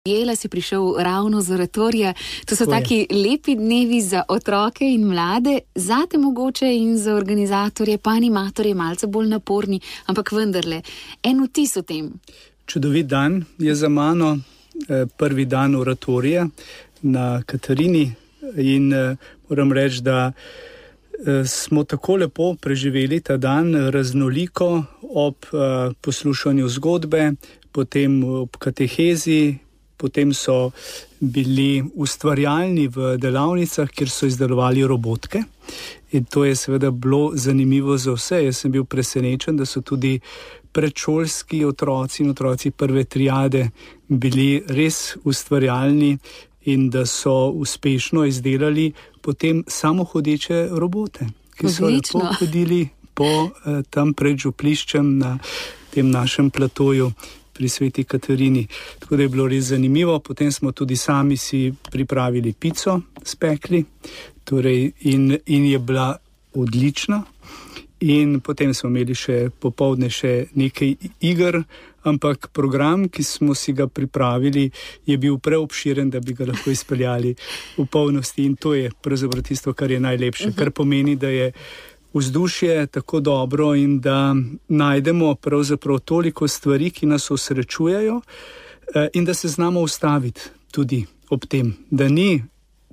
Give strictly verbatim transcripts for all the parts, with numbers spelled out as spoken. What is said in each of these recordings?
Jela si prišel ravno z oratorija. To so taki lepi dnevi za otroke in mlade, zate mogoče in za organizatorje, pa animatorje malce bolj naporni, ampak vendarle, en vtis o tem. Čudovit dan je za mano, prvi dan oratorija na Katarini in moram reči, da smo tako lepo preživeli ta dan, raznoliko ob poslušanju zgodbe, potem ob katehezi, potem so bili ustvarjalni v delavnicah, kjer so izdelovali robotke. In to je seveda bilo zanimivo za vse. Jaz sem bil presenečen, da so tudi predšolski otroci in otroci prve triade bili res ustvarjalni in da so uspešno izdelali potem samohodeče robote, ki so Odlično. lepo hodili po eh, tam pred župliščem na tem našem platoju pri Sveti Katarini. Tako da je bilo res zanimivo. Potem smo tudi sami si pripravili pico, spekli, torej in, in je bila odlična. In potem smo imeli še popoldne še nekaj iger, ampak program, ki smo si ga pripravili, je bil preobširen, da bi ga lahko izpeljali v polnosti. In to je pravzaprav tisto, kar je najlepše, kar pomeni, da je vzdušje tako dobro in da najdemo pravzaprav toliko stvari, ki nas osrečujejo, in da se znamo ustaviti tudi ob tem, da ni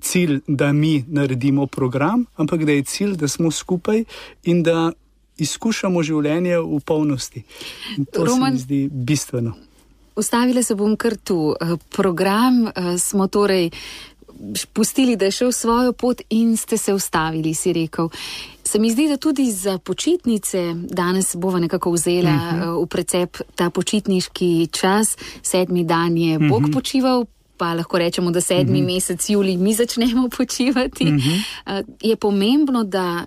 cilj, da mi naredimo program, ampak da je cilj, da smo skupaj in da izkušamo življenje v polnosti. In to Roman, se mi zdi bistveno. Ustavila se bom kar tu. Program smo torej pustili, da je šel svojo pot in ste se ustavili, si rekel. Se mi zdi, da tudi za počitnice danes bova nekako vzela uh-huh. v precep ta počitniški čas. Sedmi dan je uh-huh. Bog počival, pa lahko rečemo, da sedmi uh-huh. mesec julij mi začnemo počivati. Uh-huh. Je pomembno, da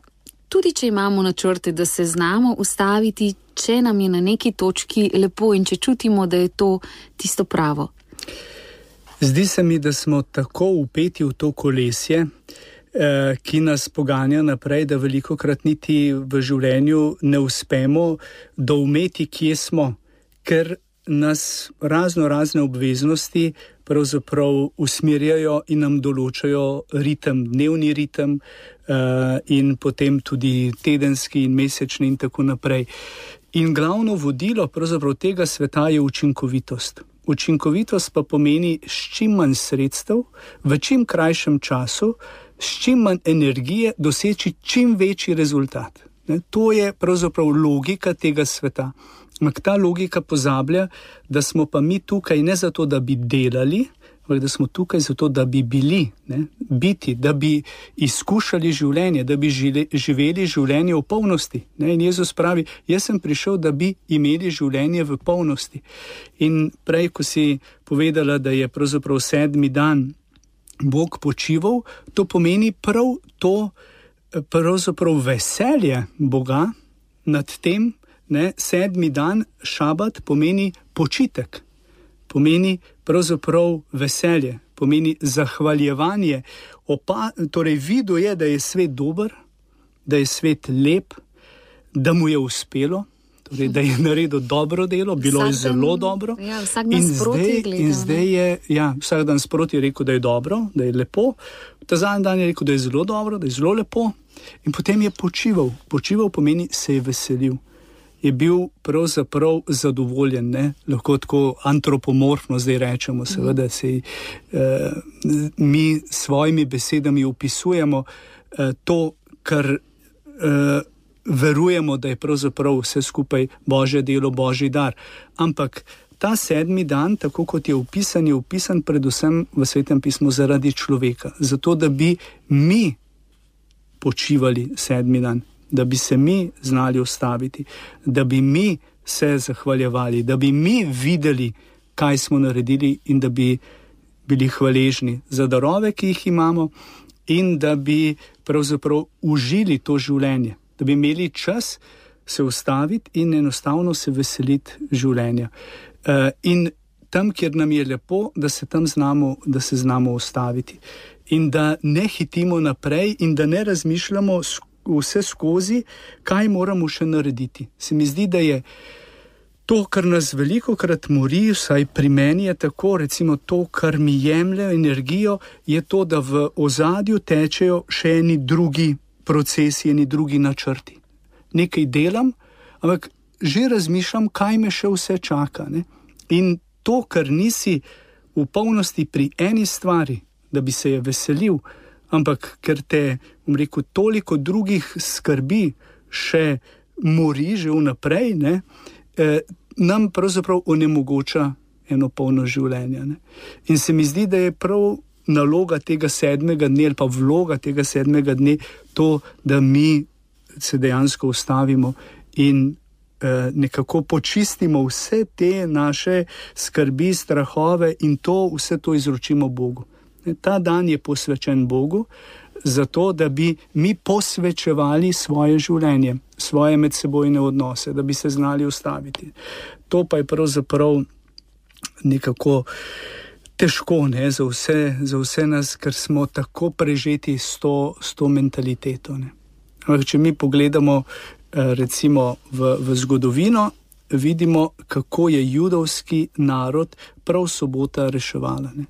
tudi če imamo načrte, da se znamo ustaviti, če nam je na neki točki lepo in če čutimo, da je to tisto pravo. Zdi se mi, da smo tako vpeti v to kolesje, eh, ki nas poganja naprej, da velikokrat niti v življenju ne uspemo doumeti, kje smo, ker nas razno razne obveznosti pravzaprav usmerjajo in nam določajo ritem, dnevni ritem eh, in potem tudi tedenski in mesečni in tako naprej. In glavno vodilo pravzaprav tega sveta je učinkovitost. Učinkovitost pa pomeni s čim manj sredstev, v čim krajšem času, s čim manj energije doseči čim večji rezultat. Ne, to je pravzaprav logika tega sveta. Ampak ta logika pozablja, da smo pa mi tukaj ne zato, da bi delali, ampak da smo tukaj zato, da bi bili, ne, biti, da bi izkušali življenje, da bi žile, živeli življenje v polnosti. Ne. In Jezus pravi, jaz sem prišel, da bi imeli življenje v polnosti. In prej, ko si povedala, da je pravzaprav sedmi dan Bog počival, to pomeni prav to pravzaprav veselje Boga nad tem, ne, sedmi dan, šabat, pomeni počitek. Pomeni pravzaprav veselje, pomeni zahvaljevanje. Opa, torej videl je, da je svet dober, da je svet lep, da mu je uspelo, torej, da je naredil dobro delo, bilo vsak je zelo dan, dobro. Ja, vsak dan sproti gleda. In zdaj je, ja, vsak dan sproti je rekel, da je dobro, da je lepo. Ta zadnji dan je rekel, da je zelo dobro, da je zelo lepo. In potem je počival. Počival pomeni, se je veselil. Je bil pravzaprav zadovoljen, ne? Lahko tako antropomorfno zdaj rečemo, seveda se eh, mi svojimi besedami opisujemo eh, to, kar eh, verujemo, da je pravzaprav vse skupaj Božje delo, Božji dar. Ampak ta sedmi dan, tako kot je opisan, je opisan predvsem v Svetem pismu zaradi človeka, zato da bi mi počivali sedmi dan, da bi se mi znali ustaviti, da bi mi se zahvaljevali, da bi mi videli, kaj smo naredili in da bi bili hvaležni za darove, ki jih imamo in da bi pravzaprav užili to življenje, da bi imeli čas se ustaviti in enostavno se veseliti življenja. In tam, kjer nam je lepo, da se tam znamo, da se znamo ustaviti in da ne hitimo naprej in da ne razmišljamo vse skozi, kaj moramo še narediti. Se mi zdi, da je To, kar nas veliko krat mori, vsaj pri meni je tako, recimo to, kar mi jemlje energijo, je to, da v ozadju tečejo še eni drugi procesi, eni drugi načrti. Nekaj delam, ampak že razmišljam, kaj me še vse čaka. Ne? In to, kar nisi v polnosti pri eni stvari, da bi se je veselil, ampak ker te, bom rekel, toliko drugih skrbi še mori že vnaprej, ne, eh, nam pravzaprav onemogoča eno polno življenje. Ne. In se mi zdi, da je prav naloga tega sedmega dne ali pa vloga tega sedmega dne to, da mi se dejansko ustavimo in eh, nekako počistimo vse te naše skrbi, strahove in to, vse to izročimo Bogu. Ne. Ta dan je posvečen Bogu, zato, da bi mi posvečevali svoje življenje, svoje medsebojne odnose, da bi se znali ustaviti. To pa je pravzaprav nekako težko, ne, za vse, za vse nas, ker smo tako prežeti s to, s to mentaliteto. Ne. Ampak, če mi pogledamo recimo v, v zgodovino, vidimo, kako je judovski narod prav sobota reševala. Ne.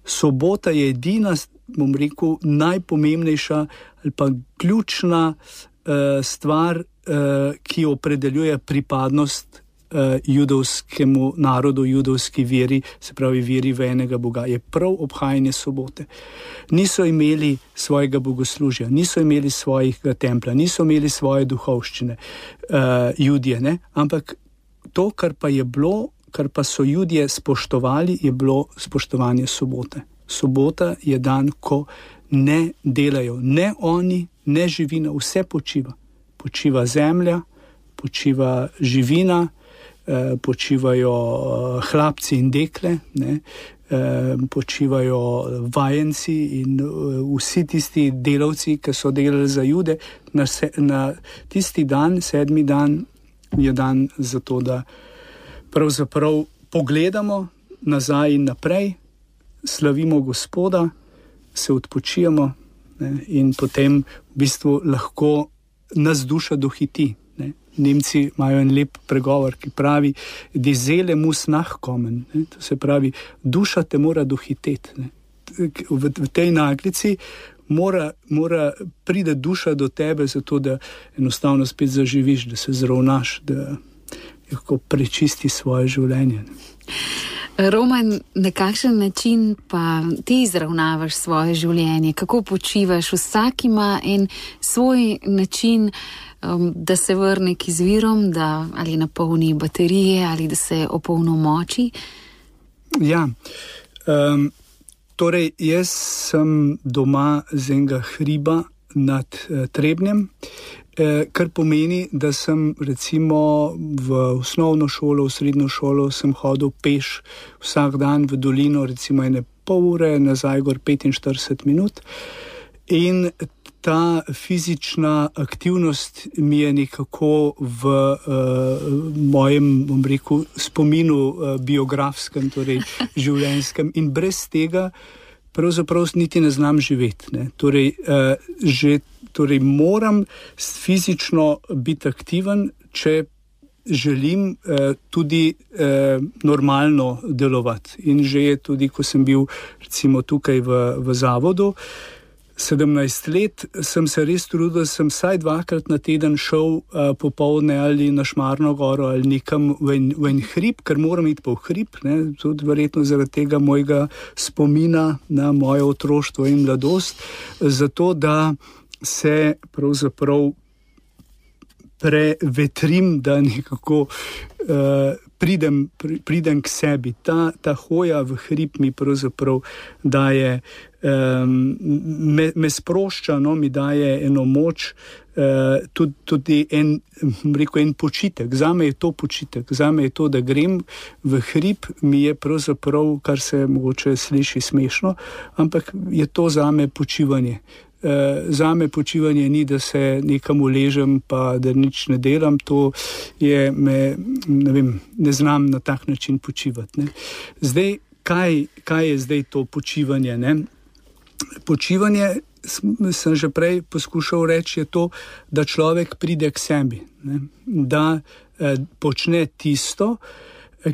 Sobota je edina, bom rekel, najpomembnejša ali pa ključna uh, stvar, uh, ki opredeljuje pripadnost uh, judovskemu narodu, judovski veri, se pravi veri v enega Boga, je prav obhajanje sobote. Niso imeli svojega bogoslužja, niso imeli svojega templja, niso imeli svoje duhovščine, uh, Judje, ne? Ampak to, kar pa je bilo, kar pa so Judje spoštovali, je bilo spoštovanje sobote. Sobota je dan, ko ne delajo, ne oni, ne živina, vse počiva. Počiva zemlja, počiva živina, eh, počivajo hlapci in dekle, ne, eh, počivajo vajenci in eh, vsi tisti delavci, ki so delali za Jude. Na, se, na tisti dan, sedmi dan, je dan za to, da pravzaprav pogledamo nazaj in naprej, slavimo Gospoda, se odpočijemo, ne, in potem v bistvu lahko nas duša dohiti. Ne. Nemci imajo en lep pregovor, ki pravi, die Seele muss nachkommen. Ne. To se pravi, duša te mora dohiteti. Ne. V, v tej naglici mora, mora pride duša do tebe, zato da enostavno spet zaživiš, da se zravnaš, da lahko prečisti svoje življenje. Roman, na kakšen način pa ti izravnavaš svoje življenje? Kako počivaš? Vsak ima en svoj način, um, da se vrne k izvirom, da ali napolni baterije, ali da se opolnomoči? Ja, um, torej jaz sem doma z enega hriba nad uh, Trebnjem, kar pomeni, da sem recimo v osnovno šolo, v srednjo šolo sem hodil peš vsak dan v dolino, recimo ene pol ure, nazaj gor petinštirideset minut. In ta fizična aktivnost mi je nekako v uh, mojem, bom rekel, spominu uh, biografskem, torej življenjskem, in brez tega pravzaprav niti ne znam živeti. Ne. Torej, uh, že Torej, moram fizično biti aktiven, če želim eh, tudi eh, normalno delovati. In že je tudi, ko sem bil recimo tukaj v, v zavodu, sedemnajst let, sem se res trudil, da sem vsaj dvakrat na teden šel eh, popoldne ali na Šmarno goro ali nekam v en, v en hrib, ker moram iti po hrib, ne, tudi verjetno zaradi tega mojega spomina na moje otroštvo in mladost, zato da se pravzaprav prevetrim, da nekako uh, pridem, pri, pridem k sebi. Ta, ta hoja v hrib mi pravzaprav daje, um, me, me sprošča, no, mi daje eno moč, uh, tudi, tudi en, rekel, en počitek. Zame je to počitek, zame je to, da grem v hrib, mi je pravzaprav, kar se mogoče sliši smešno, ampak je to zame počivanje. Uh, zame počivanje ni, da se nekam uležem pa da nič ne delam, to je, me, ne vem, ne znam na tak način počivati. Ne. Zdaj, kaj, kaj je zdaj to počivanje? Ne? Počivanje sem že prej poskušal reči, je to, da človek pride k sebi, ne? Da eh, počne tisto, eh,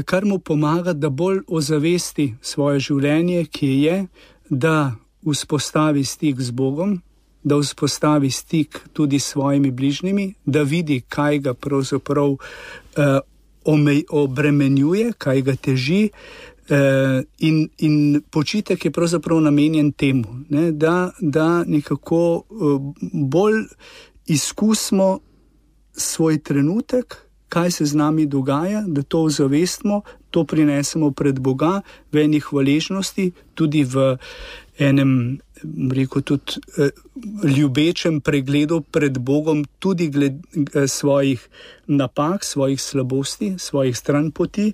kar mu pomaga, da bolj ozavesti svoje življenje, ki je, da vzpostavi stik z Bogom, da vzpostavi stik tudi s svojimi bližnjimi, da vidi, kaj ga pravzaprav eh, omej, obremenjuje, kaj ga teži. Uh, in, in počitek je pravzaprav namenjen temu, ne, da, da nekako uh, bolj izkusimo svoj trenutek, kaj se z nami dogaja, da to ozavestimo, to prinesemo pred Boga v eni hvaležnosti, tudi v enem, rekel, tudi uh, ljubečem pregledu pred Bogom, tudi gled uh, svojih napak, svojih slabosti, svojih stranpoti.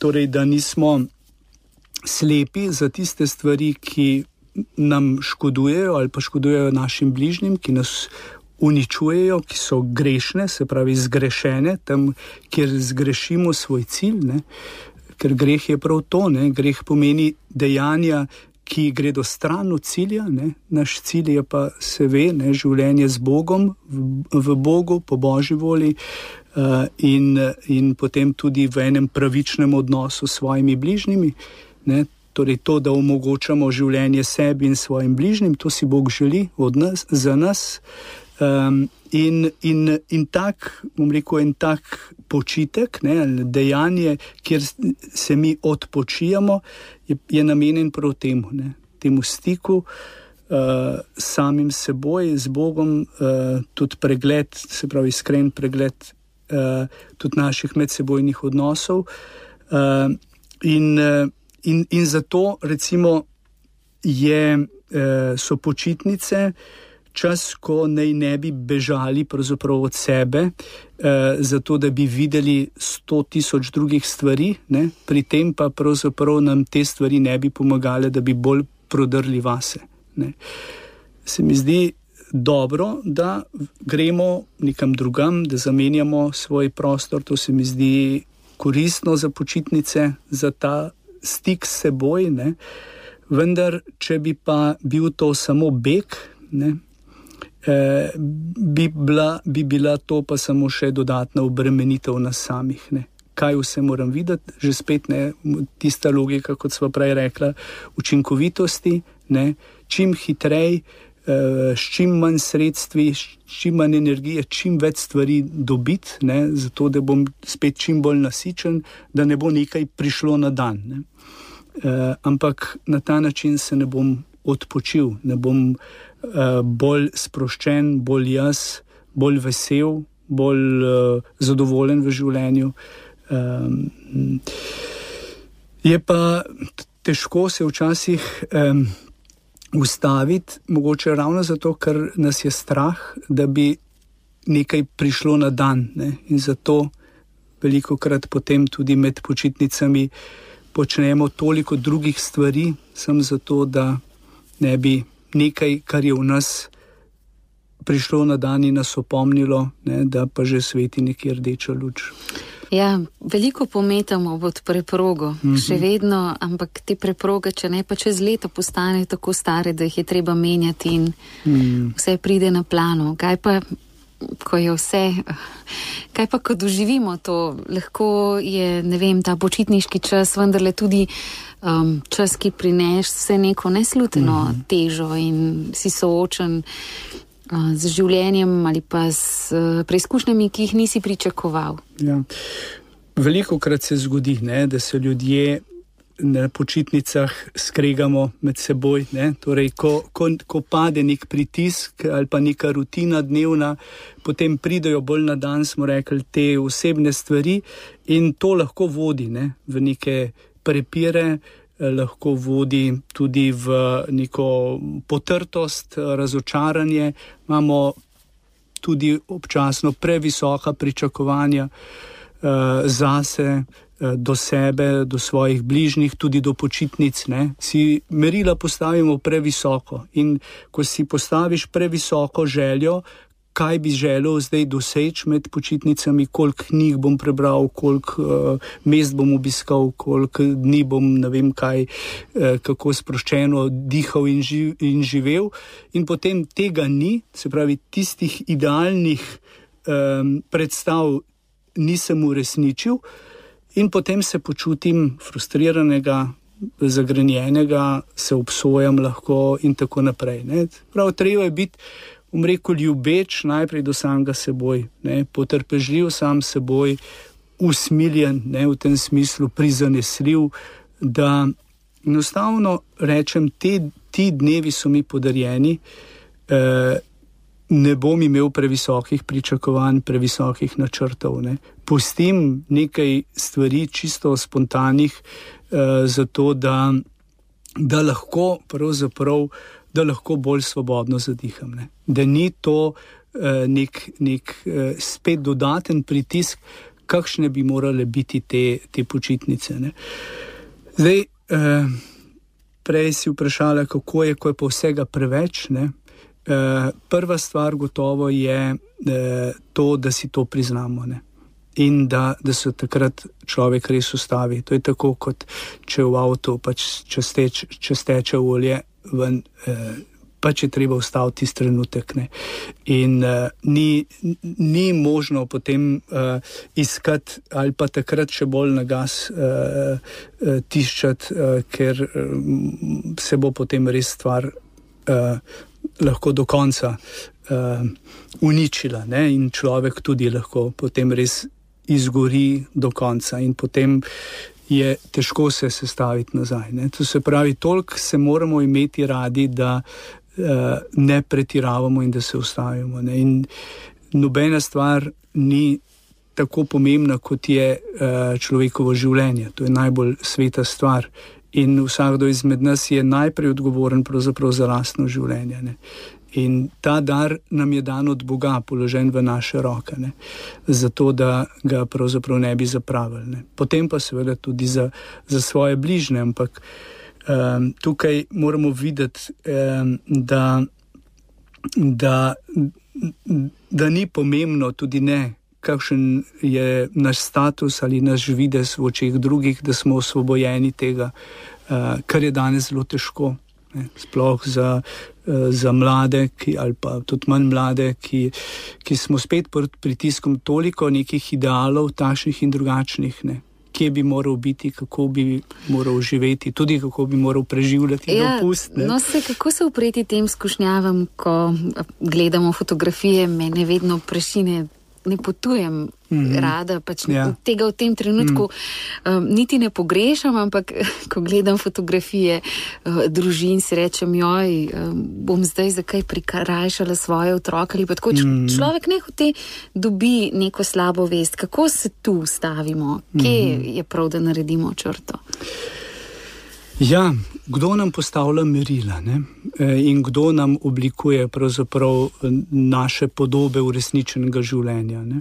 Torej, da nismo slepi za tiste stvari, ki nam škodujejo ali pa škodujejo našim bližnjim, ki nas uničujejo, ki so grešne, se pravi zgrešene, tam, kjer zgrešimo svoj cilj, ne? Ker greh je prav to, ne? Greh pomeni dejanja, ki gredo stran od cilja, ne? Naš cilj je pa, se ve, ne? Življenje z Bogom, v, v Bogu, po Božji volji, Uh, in, in potem tudi v enem pravičnem odnosu s svojimi bližnjimi, ne? Torej to, da omogočamo življenje sebi in svojim bližnjim, to si Bog želi od nas, za nas. Um, in, in, in tak, bom rekel, en tak počitek, ne, dejanje, kjer se mi odpočijamo, je, je namenjen prav temu, ne? Temu stiku uh, samim seboj, z Bogom, uh, tudi pregled, se pravi iskren pregled Uh, tudi naših medsebojnih odnosov. Uh, in, uh, in, in zato recimo je, uh, so počitnice čas, ko naj ne bi bežali pravzaprav od sebe, uh, zato da bi videli sto tisoč drugih stvari, ne? Pri tem pa pravzaprav nam te stvari ne bi pomagale, da bi bolj prodrli vase. Ne? Se mi zdi dobro, da gremo nekam drugam, da zamenjamo svoj prostor, to se mi zdi koristno za počitnice, za ta stik s seboj, ne. Vendar, če bi pa bil to samo beg, ne, eh, bi, bila, bi bila to pa samo še dodatna obremenitev nas samih, ne. Kaj vse moram videti, že spet ne, tista logika, kot sva prej rekla, učinkovitosti, ne, čim hitrej, s čim manj sredstvi, s čim manj energije, čim več stvari dobiti, ne, zato da bom spet čim bolj nasičen, da ne bo nekaj prišlo na dan. Ne. E, ampak na ta način se ne bom odpočil, ne bom e, bolj sproščen, bolj jaz, bolj vesel, bolj e, zadovoljen v življenju. E, je pa težko se včasih e, ustaviti, mogoče ravno zato, ker nas je strah, da bi nekaj prišlo na dan, ne? In zato velikokrat potem tudi med počitnicami počnemo toliko drugih stvari, samo zato, da ne bi nekaj, kar je v nas prišlo na dan in nas opomnilo, ne? Da pa že sveti nekje rdeča luč. Ja, veliko pometamo pod preprogo, mm-hmm. še vedno, ampak te preproge, če ne pa čez leto postane tako stare, da jih je treba menjati in mm. vse pride na plano. Kaj pa, ko je vse, kaj pa, ko doživimo to, lahko je, ne vem, ta počitniški čas, vendarle tudi um, čas, ki prineš vse neko nesluteno mm-hmm. težo in si soočen z življenjem ali pa s preizkušnjami, ki jih nisi pričakoval. Ja. Velikokrat se zgodi, ne, da se ljudje na počitnicah skregamo med seboj. Ne. Torej, ko, ko, ko pade nek pritisk ali pa neka rutina dnevna, potem pridejo bolj na dan, smo rekli, te osebne stvari in to lahko vodi, ne, v neke prepire, lahko vodi tudi v neko potrtost, razočaranje. Imamo tudi občasno previsoka pričakovanja uh, zase, uh, do sebe, do svojih bližnjih, tudi do počitnic. Ne? Si merila postavimo previsoko in ko si postaviš previsoko željo, kaj bi želel zdaj doseči med počitnicami, koliko knjig bom prebral, koliko uh, mest bom obiskal, koliko dni bom, ne vem kaj, uh, kako sproščeno dihal in, živ, in živel. In potem tega ni, se pravi, tistih idealnih um, predstav nisem uresničil in potem se počutim frustriranega, zagrenjenega, se obsojam lahko in tako naprej. Ne. Prav, treba je biti, bom rekel, ljubeč najprej do samega seboj, ne, potrpežljiv sam seboj, usmiljen, ne, v tem smislu prizanesljiv, da enostavno rečem, te, ti dnevi so mi podarjeni, eh, ne bom imel previsokih pričakovanj, previsokih načrtov. Ne. Pustim nekaj stvari čisto spontanih, eh, zato da, da lahko pravzaprav da lahko bolj svobodno zadiham. Ne. Da ni to eh, nek, nek eh, spet dodaten pritisk, kakšne bi morale biti te, te počitnice. Ne. Zdaj, eh, prej si vprašala, kako je, ko je pa vsega preveč. Ne. Eh, prva stvar gotovo je eh, to, da si to priznamo. Ne. In da, da se takrat človek res ustavi. To je tako, kot če v avtu pač če steče, če steče olje ven, eh, pač je treba ustaviti tisti trenutek. Ne. In eh, ni, ni možno potem eh, iskati ali pa takrat še bolj na gas eh, eh, tiščati, eh, ker eh, se bo potem res stvar eh, lahko do konca eh, uničila, ne. In človek tudi lahko potem res izgori do konca in potem je težko se sestaviti nazaj. Ne. To se pravi, toliko se moramo imeti radi, da uh, ne pretiravamo in da se ustavimo. Ne. In nobena stvar ni tako pomembna, kot je uh, človekovo življenje. To je najbolj sveta stvar. In vsakdo izmed nas je najprej odgovoren pravzaprav za lastno življenje. Ne. In ta dar nam je dan od Boga, položen v naše roke, ne, zato da ga pravzaprav ne bi zapravili. Ne. Potem pa seveda tudi za, za svoje bližnje, ampak um, tukaj moramo videti, um, da, da, da ni pomembno tudi ne, kakšen je naš status ali naš videz v očeh drugih, da smo osvobojeni tega, uh, kar je danes zelo težko. Ne, sploh za, za mlade ki, ali pa tudi manj mlade, ki, ki smo spet pod pritiskom toliko nekih idealov, takšnih in drugačnih, ne. Kje bi moral biti, kako bi moral živeti, tudi kako bi moral preživljati ja, dopust. Ne. No, se, kako se upreti tem skušnjavam, ko gledamo fotografije, mene vedno prešine, ne potujem mm-hmm. rada, pač ja. tega v tem trenutku mm. um, niti ne pogrešam, ampak ko gledam fotografije uh, družin, si rečem, joj, um, bom zdaj zakaj prikrajšala svoje otroke ali pa tako. Mm. Človek nehote dobi neko slabo vest. Kako se tu ustavimo? Kje mm. je prav, da naredimo črto? Ja, kdo nam postavlja merila, ne? In kdo nam oblikuje pravzaprav naše podobe uresničenega življenja, ne?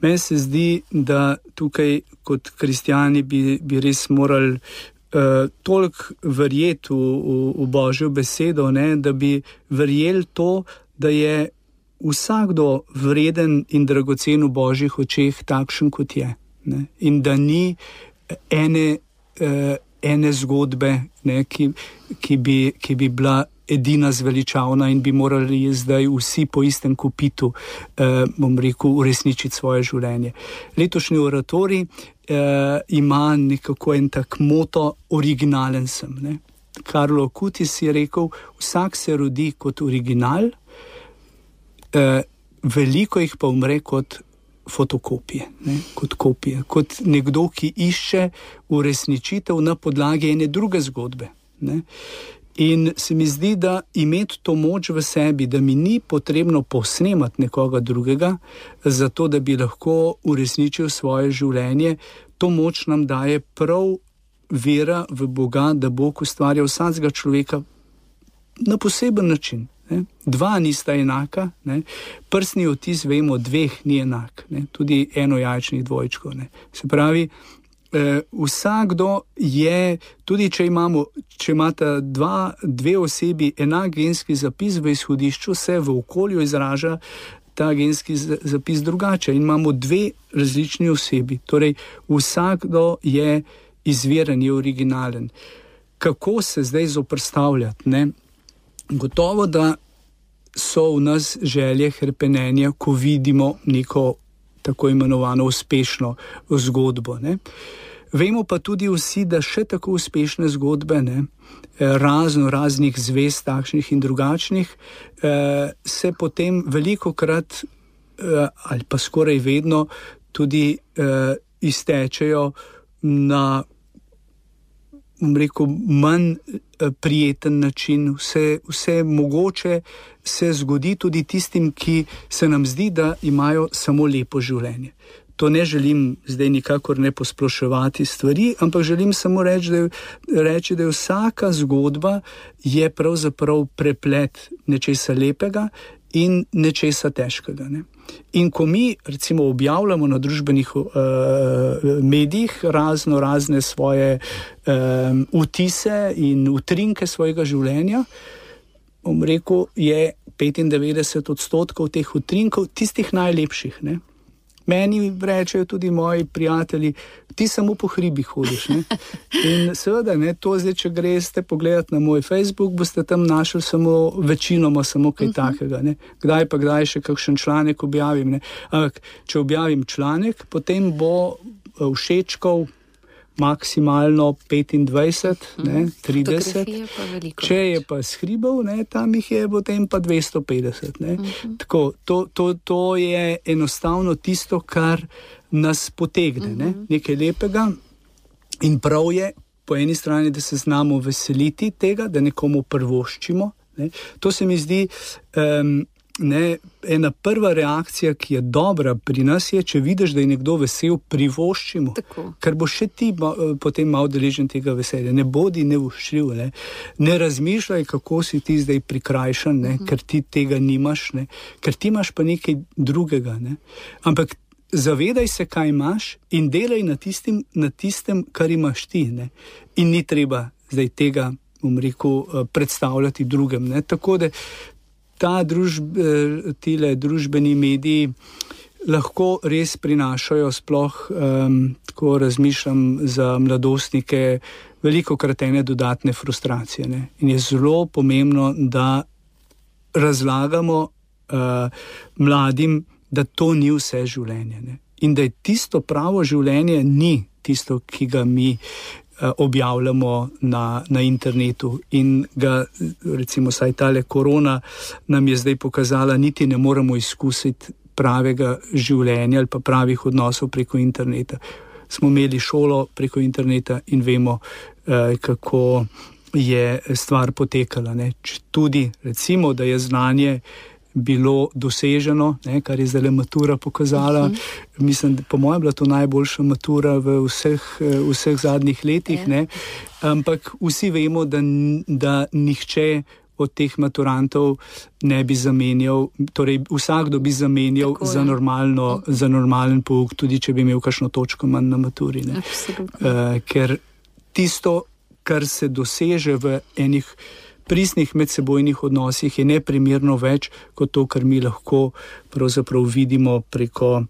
Meni se zdi, da tukaj kot kristjani bi, bi res morali uh, toliko verjeti v, v, v Božjo besedo, ne? Da bi verjeli to, da je vsakdo vreden in dragocen v Božjih očeh takšen, kot je, ne? In da ni ene uh, ene zgodbe, ne, ki, ki, bi, ki bi bila edina zveličavna in bi morali zdaj vsi po istem kopitu, eh, bom rekel, uresničiti svoje življenje. Letošnji oratorij eh, ima nekako en tak moto, originalen sem. Ne. Karlo Acutis je rekel, vsak se rodi kot original, eh, veliko jih pa umre kot fotokopije, ne, kot kopije, kot nekdo, ki išče uresničitev na podlagi ene druge zgodbe. Ne. In se mi zdi, da imeti to moč v sebi, da mi ni potrebno posnemati nekoga drugega, zato da bi lahko uresničil svoje življenje, to moč nam daje prav vera v Boga, da Bog ustvarja vsakega človeka na poseben način. Ne. Dva nista enaka, ne. Prstni odtis, vemo, dveh ni enak, ne. Tudi enojajčnih dvojčkov. Ne. Se pravi, eh, vsakdo je, tudi če imamo, če imata dva, dve osebi enak genski zapis v izhodišču, se v okolju izraža ta genski zapis drugače in imamo dve različni osebi. Torej, vsakdo je izviren, je originalen. Kako se zdaj zoprstavljati? Ne? Gotovo, da so v nas želje hrepenenja, ko vidimo neko tako imenovano uspešno zgodbo. Ne? Vemo pa tudi vsi, da še tako uspešne zgodbe, ne, razno raznih zvez, takšnih in drugačnih, eh, se potem velikokrat eh, ali pa skoraj vedno tudi eh, iztečejo na, bom rekel, manj prijeten način. Vse, vse mogoče se zgodi tudi tistim, ki se nam zdi, da imajo samo lepo življenje. To ne želim zdaj nikakor ne posploševati stvari, ampak želim samo reči, da je, reči, da je vsaka zgodba je pravzaprav preplet nečesa lepega in nečesa težkega. Ne? In ko mi recimo objavljamo na družbenih uh, medijih razno razne svoje um, vtise in utrinke svojega življenja, bom rekel, je petindevetdeset odstotkov teh utrinkov tistih najlepših, ne? Meni rečejo tudi moji prijatelji, ti samo po hribih hodiš. Ne? In seveda, ne, to zdaj, če greste pogledati na moj Facebook, boste tam našli samo večinoma samo kaj uh-huh. takega. Ne? Kdaj pa kdaj še kakšen članek objavim. Ne? Ampak, če objavim članek, potem bo všečkov maksimalno petindvajset, uh-huh. ne, trideset. Če je pa s hribov, ne, tam jih je potem pa dvesto petdeset. Ne. Uh-huh. Tako, to, to, to je enostavno tisto, kar nas potegne, uh-huh. ne, nekaj lepega. In prav je po eni strani, da se znamo veseliti tega, da nekomu prvoščimo. Ne. To se mi zdi um, ne, ena prva reakcija, ki je dobra pri nas, je, če vidiš, da je nekdo vesel, privoščimo. Tako. Ker bo še ti ma, potem malo deležen tega veselja. Ne bodi nevoščljiv, ne. Ne razmišljaj, kako si ti zdaj prikrajšan, ne, uh-huh. ker ti tega nimaš, ne. Ker ti imaš pa nekaj drugega. Ne. Ampak zavedaj se, kaj imaš in delaj na tistim, na tistem, kar imaš ti. Ne. In ni treba zdaj tega, bom rekel, predstavljati drugem. Ne. Tako da ta družb, tile družbeni mediji lahko res prinašajo, sploh um, tako razmišljam za mladostnike, velikokrat ene dodatne frustracije. Ne? In je zelo pomembno, da razlagamo uh, mladim, da to ni vse življenje. Ne? In da je tisto pravo življenje ni tisto, ki ga mi objavljamo na, na internetu in ga, recimo, saj tale korona nam je zdaj pokazala, niti ne moremo izkusiti pravega življenja ali pa pravih odnosov preko interneta. Smo imeli šolo preko interneta in vemo, eh, kako je stvar potekala. Ne. Tudi, recimo, da je znanje bilo doseženo, ne, kar je zdaj matura pokazala. Uh-huh. Mislim, da po mojem bila to najboljša matura v vseh, vseh zadnjih letih. Ne. Ampak vsi vemo, da, da nihče od teh maturantov ne bi zamenjal, torej vsakdo bi zamenjal za, normalno, uh-huh. za normalen pouk, tudi če bi imel kakšno točko manj na maturi. Ne. Uh, ker tisto, kar se doseže v enih pristnih medsebojnih odnosih, je neprimerno več kot to, kar mi lahko pravzaprav vidimo preko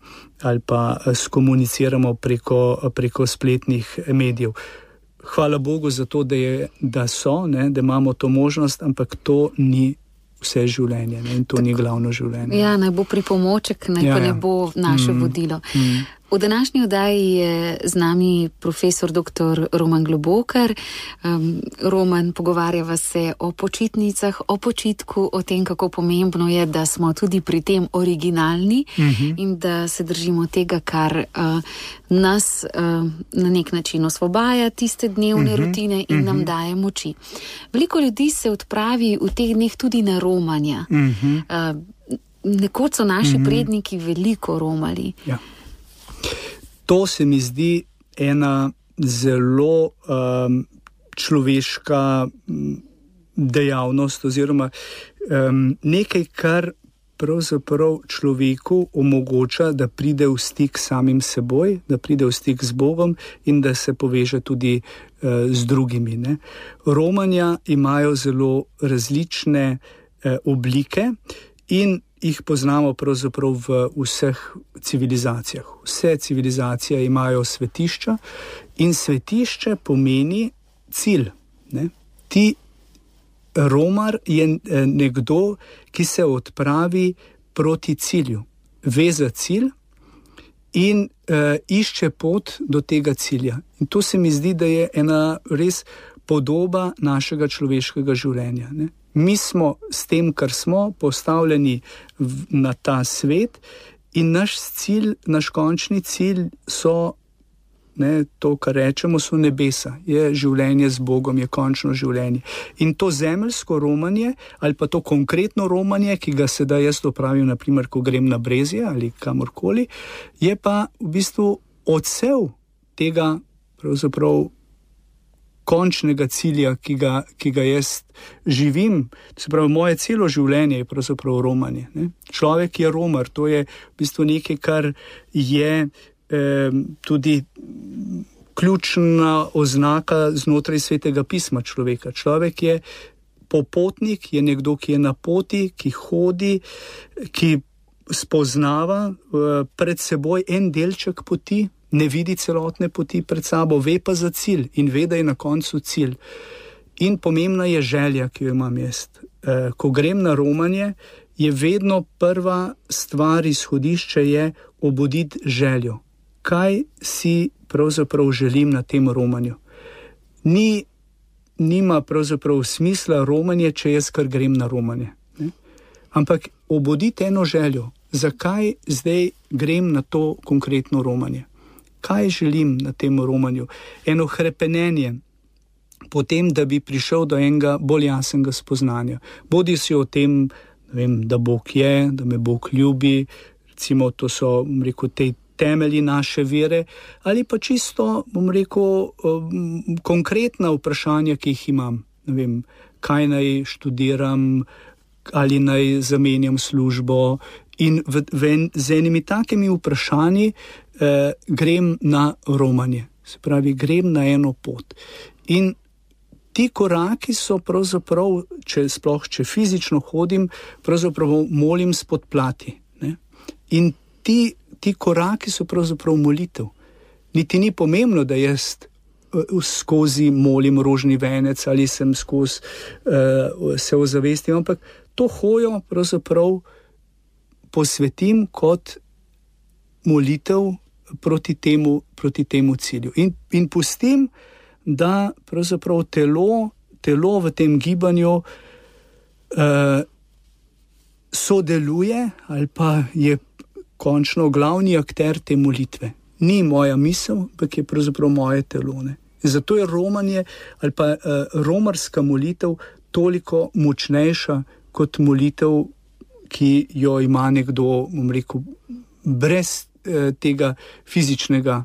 ali pa skomuniciramo preko, preko spletnih medijev. Hvala Bogu za to, da, je, da so, ne, da imamo to možnost, ampak to ni vse življenje, ne, in to Tako. Ni glavno življenje. Ja, naj bo pripomoček, naj ja, pa ne bo naše mm, vodilo. Mm. V današnji oddaji je z nami profesor doktor Roman Globokar. Um, Roman, pogovarjava se o počitnicah, o počitku, o tem, kako pomembno je, da smo tudi pri tem originalni uh-huh. in da se držimo tega, kar uh, nas uh, na nek način osvobaja tiste dnevne uh-huh. rutine in uh-huh. nam daje moči. Veliko ljudi se odpravi v teh dneh tudi na romanja. Uh-huh. Uh, nekoč so naši uh-huh. predniki veliko romali. Ja. To se mi zdi ena zelo um, človeška dejavnost oziroma um, nekaj, kar pravzaprav človeku omogoča, da pride v stik s samim seboj, da pride v stik z Bogom in da se poveže tudi uh, z drugimi. Ne. Romanja imajo zelo različne uh, oblike in jih poznamo pravzaprav v vseh civilizacijah. Vse civilizacije imajo svetišča in svetišče pomeni cilj. Ne? Ti romar je nekdo, ki se odpravi proti cilju, ve za cilj in uh, išče pot do tega cilja. In to se mi zdi, da je ena res podoba našega človeškega življenja. Ne? Mi smo s tem, kar smo, postavljeni v, na ta svet in naš cilj, naš končni cilj so, ne, to, kar rečemo, so nebesa, je življenje z Bogom, je končno življenje. In to zemeljsko romanje, ali pa to konkretno romanje, ki ga sedaj jaz opravim, naprimer, ko grem na Brezje ali kamorkoli, je pa v bistvu odsev tega pravzaprav končnega cilja, ki ga, ki ga jaz živim. Se pravi, moje celo življenje je pravzaprav romanje. Ne? Človek je romar, to je v bistvu nekaj, kar je eh, tudi ključna oznaka znotraj Svetega pisma človeka. Človek je popotnik, je nekdo, ki je na poti, ki hodi, ki spoznava eh, pred seboj en delček poti, ne vidi celotne poti pred sabo, ve pa za cilj in ve, da je na koncu cilj. In pomembna je želja, ki jo imam jaz. E, ko grem na romanje, je vedno prva stvar, izhodišče je obuditi željo. Kaj si pravzaprav želim na tem romanju? Ni, nima pravzaprav smisla romanje, če jaz kar grem na romanje. Ne? Ampak obuditi eno željo. Zakaj zdaj grem na to konkretno romanje? Kaj želim na tem romanju? Eno hrepenenje, potem, da bi prišel do enega bolj jasnega spoznanja. Bodi si o tem, ne vem, da Bog je, da me Bog ljubi, recimo to so, bom rekel, te temelji naše vere, ali pa čisto, bom rekel, um, konkretna vprašanja, ki jih imam. Ne vem, kaj naj študiram, ali naj zamenjam službo. In v, v, z enimi takimi vprašanji eh, grem na romanje. Se pravi, grem na eno pot. In ti koraki so pravzaprav, če sploh, če fizično hodim, pravzaprav molim spod plati. Ne? In ti, ti koraki so pravzaprav molitev. Niti ni pomembno, da jaz skozi molim rožni venec ali sem skozi uh, se ozavestim, ampak to hojo pravzaprav posvetim kot molitev proti temu, proti temu cilju. In, in pustim, da pravzaprav telo, telo v tem gibanju uh, sodeluje ali pa je končno glavni akter te molitve. Ni moja misel, ampak je pravzaprav moje telo. Ne? Zato je romanje ali pa uh, romarska molitev toliko močnejša kot molitev, ki jo ima nekdo, bom rekel, brez eh, tega fizičnega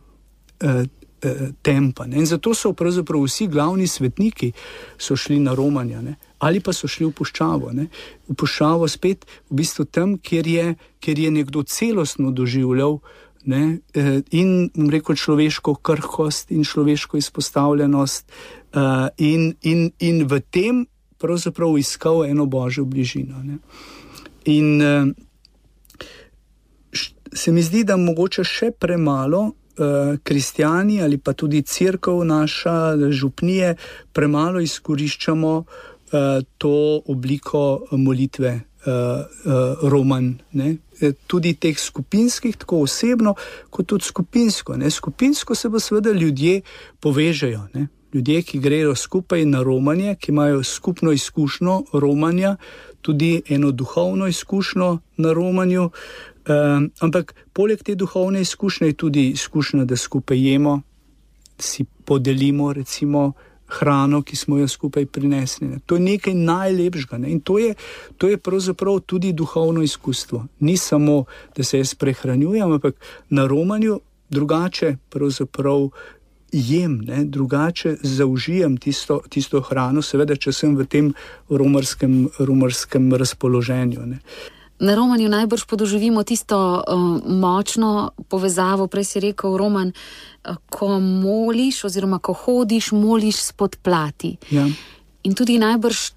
eh, eh, tempa. Ne? In zato so pravzaprav vsi glavni svetniki so šli na romanja, ne? Ali pa so šli v puščavo. Ne? V puščavo spet v bistvu tam, kjer je, kjer je nekdo celostno doživljal, ne? Eh, in, bom rekel, človeško krhkost in človeško izpostavljenost eh, in, in, in v tem pravzaprav iskal eno božjo bližino. Ne? In uh, se mi zdi, da mogoče še premalo uh, kristjani ali pa tudi cerkev naša, župnije, premalo izkoriščamo uh, to obliko molitve uh, uh, romanj. Ne? Tudi teh skupinskih, tako osebno, kot tudi skupinsko. Ne? Skupinsko se pa seveda ljudje povežejo. Ne? Ljudje, ki grejo skupaj na romanje, ki imajo skupno izkušnjo romanja, tudi eno duhovno izkušnjo na romanju, um, ampak poleg te duhovne izkušnje je tudi izkušnja, da skupaj jemo, si podelimo recimo hrano, ki smo jo skupaj prinesli. Ne. To je nekaj najlepšega. Ne. In to je, to je pravzaprav tudi duhovno izkustvo. Ni samo, da se jaz prehranjujem, ampak na romanju drugače pravzaprav jem, ne, drugače zaužijem tisto, tisto hrano, seveda, če sem v tem romarskem, romarskem razpoloženju. Ne. Na romanju najbrž podoživimo tisto uh, močno povezavo, prej si rekel, Roman, uh, ko moliš oziroma ko hodiš, moliš spod plati. Ja. In tudi najbrž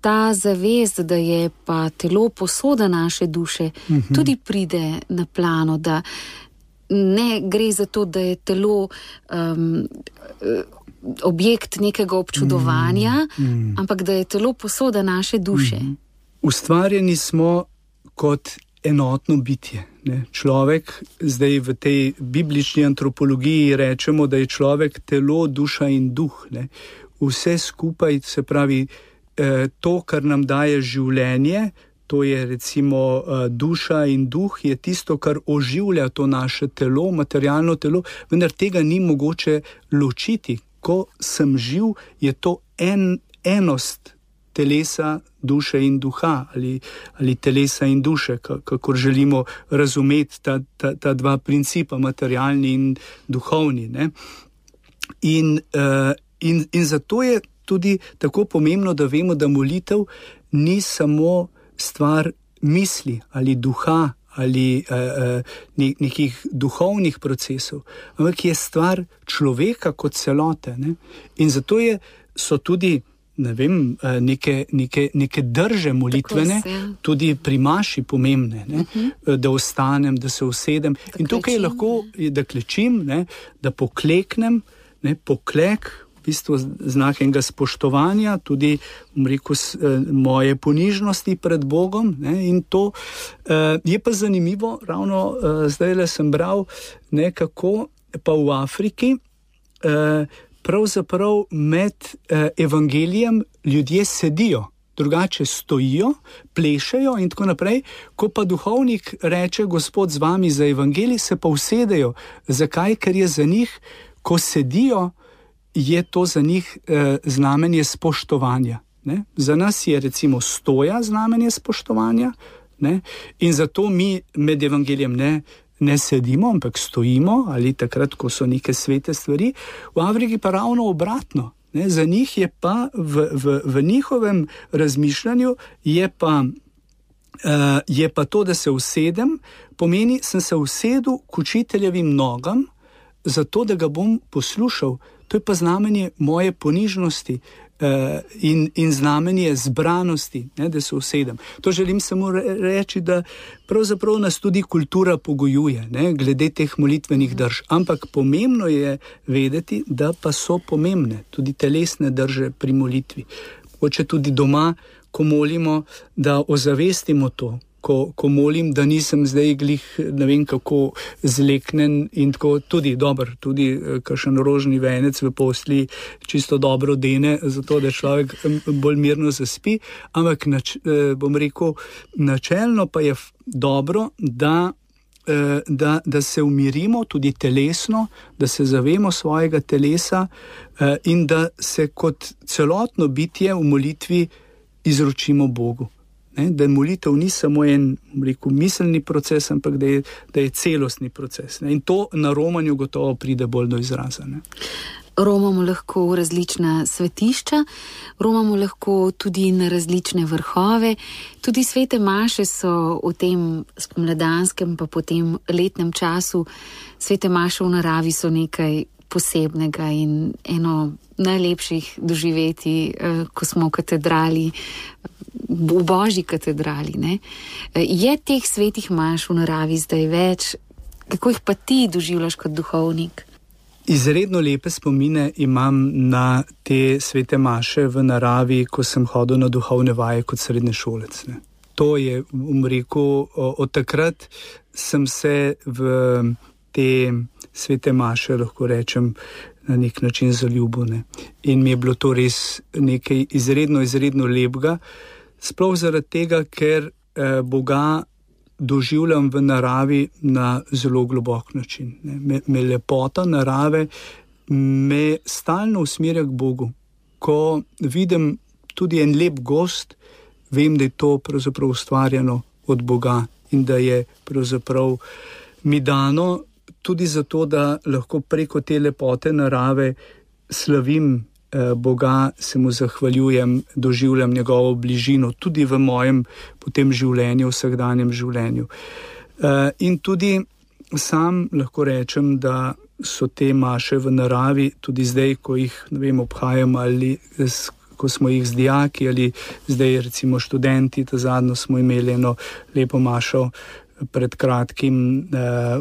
ta zavest, da je pa telo posoda naše duše, uh-huh. tudi pride na plano, da ne gre za to, da je telo um, objekt nekega občudovanja, mm, mm. ampak da je telo posoda naše duše. Mm. Ustvarjeni smo kot enotno bitje. Ne? Človek, zdaj v tej biblični antropologiji rečemo, da je človek telo, duša in duh. Ne? Vse skupaj, se pravi, eh, to, kar nam daje življenje, to je recimo uh, duša in duh, je tisto, kar oživlja to naše telo, materialno telo, vendar tega ni mogoče ločiti. Ko sem živ, je to en, enost telesa, duše in duha, ali, ali telesa in duše, kako želimo razumeti ta, ta, ta dva principa, materialni in duhovni. Ne? In, uh, in, in zato je tudi tako pomembno, da vemo, da molitev ni samo stvar misli ali duha ali uh, uh, nekih duhovnih procesov, ampak je stvar človeka kot celote. Ne? In zato je, so tudi ne vem, neke, neke, neke drže molitvene, tudi pri maši pomembne, ne? Uh-huh. Da ostanem, da se usedem. Da in tukaj klečim, lahko, da klečim, ne? Da pokleknem, ne? Poklek, v bistvu znak enega spoštovanja, tudi rekel, moje ponižnosti pred Bogom. Ne, in to uh, je pa zanimivo, ravno uh, zdajle sem bral nekako pa v Afriki, uh, pravzaprav med uh, evangelijem ljudje sedijo, drugače stojijo, plešejo in tako naprej. Ko pa duhovnik reče, Gospod z vami za evangelij, se pa usedejo. Zakaj? Ker je za njih, ko sedijo, je to za njih eh, znamenje spoštovanja. Ne? Za nas je recimo stoja znamenje spoštovanja, ne? In zato mi med evangelijem ne, ne sedimo, ampak stojimo, ali takrat, ko so neke svete stvari. V Afriki pa ravno obratno. Ne? Za njih je pa v, v, v njihovem razmišljanju je pa, uh, je pa to, da se usedem, pomeni, sem se usedel k učiteljevim nogam, zato da ga bom poslušal. To je pa znamenje moje ponižnosti uh, in, in znamenje zbranosti, ne, da se usedem. To želim samo reči, da pravzaprav nas tudi kultura pogojuje, ne, glede teh molitvenih drž. Ampak pomembno je vedeti, da pa so pomembne tudi telesne drže pri molitvi. Hoče tudi doma, ko molimo, da ozavestimo to. Ko, ko molim, da nisem zdaj glih, ne vem kako, zleknen in tako tudi dober, tudi kakšen rožni venec v posli čisto dobro dene, zato da človek bolj mirno zaspi, ampak nač, bom rekel, načelno pa je dobro, da, da, da se umirimo tudi telesno, da se zavemo svojega telesa in da se kot celotno bitje v molitvi izročimo Bogu. Ne, da molitev ni samo en, rekel, miselni proces, ampak da je, da je celostni proces. Ne, in to na romanju gotovo pride bolj do izraza. Ne. Romamo lahko v različna svetišča, romamo lahko tudi na različne vrhove. Tudi svete maše so v tem spomladanskem pa potem letnem času. Svete maše v naravi so nekaj posebnega in eno najlepših doživeti, ko smo v katedrali, v Božji katedrali. Ne? Je teh svetih maš v naravi zdaj več? Kako jih pa ti doživljaš kot duhovnik? Izredno lepe spomine imam na te svete maše v naravi, ko sem hodil na duhovne vaje kot srednješolec. Ne? To je, bom rekel, od takrat sem se v te svete maše, lahko rečem, na nek način zaljubil. Ne? In mi je bilo to res nekaj izredno, izredno lepega. Sploh zaradi tega, ker eh, Boga doživljam v naravi na zelo globok način. Ne. Me, me lepota narave me stalno usmerja k Bogu. Ko vidim tudi en lep gozd, vem, da je to pravzaprav ustvarjeno od Boga in da je pravzaprav mi dano tudi zato, da lahko preko te lepote narave slavim Boga, se mu zahvaljujem, doživljam njegovo bližino tudi v mojem potem življenju, vsakdanjem življenju. In tudi sam lahko rečem, da so te maše v naravi, tudi zdaj, ko jih, ne vem, obhajam ali ko smo jih z dijaki ali zdaj recimo študenti, ta zadnjo smo imeli eno lepo mašo pred kratkim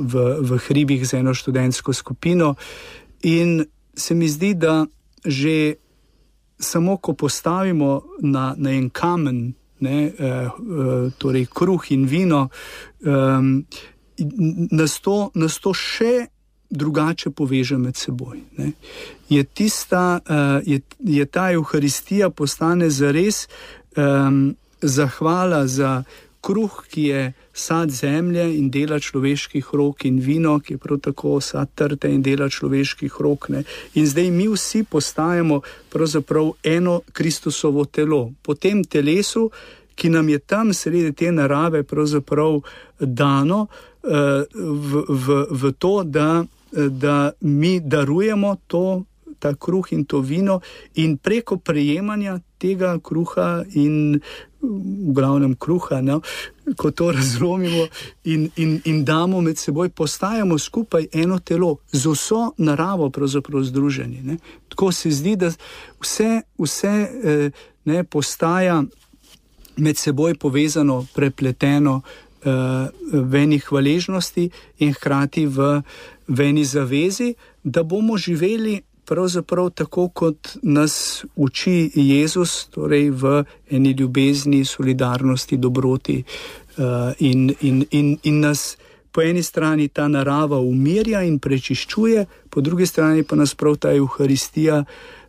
v, v hribih z eno študentsko skupino in se mi zdi, da že samo ko postavimo na, na en kamen, ne, eh, torej kruh in vino, eh, nas, to, nas to še drugače poveže med seboj. Ne. Je, tista, eh, je, je ta Evharistija postane zares eh, zahvala za kruh, ki je sad zemlje in dela človeških rok, in vino, ki je prav tako sad trte in dela človeških rok. Ne. In zdaj mi vsi postajamo pravzaprav eno Kristusovo telo. Po tem telesu, ki nam je tam sredi te narave pravzaprav dano uh, v, v, v to, da, da mi darujemo to, ta kruh in to vino in preko prejemanja tega kruha in v glavnem kruha, no, ko to razlomimo in, in, in damo med seboj, postajamo skupaj eno telo, z vso naravo pravzaprav združeni. Ne. Tako se zdi, da vse, vse eh, ne, postaja med seboj povezano, prepleteno eh, v eni hvaležnosti in hkrati v, v eni zavezi, da bomo živeli pravzaprav tako, kot nas uči Jezus, torej v eni ljubezni, solidarnosti, dobroti uh, in, in, in, in nas po eni strani ta narava umirja in prečiščuje, po drugi strani pa nas prav ta Evharistija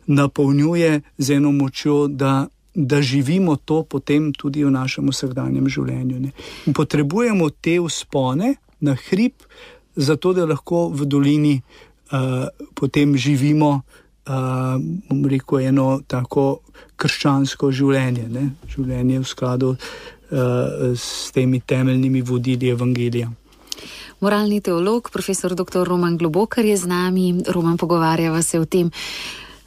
napolnjuje z eno močjo, da, da živimo to potem tudi v našem vsakdanjem življenju. Ne. In potrebujemo te vzpone na hrib, zato da lahko v dolini Uh, potem živimo, uh, bom rekel, eno tako krščansko življenje, ne? Življenje v skladu uh, s temi temeljnimi vodili evangelija. Moralni teolog, profesor doktor Roman Globokar je z nami. Roman, pogovarjava se o tem,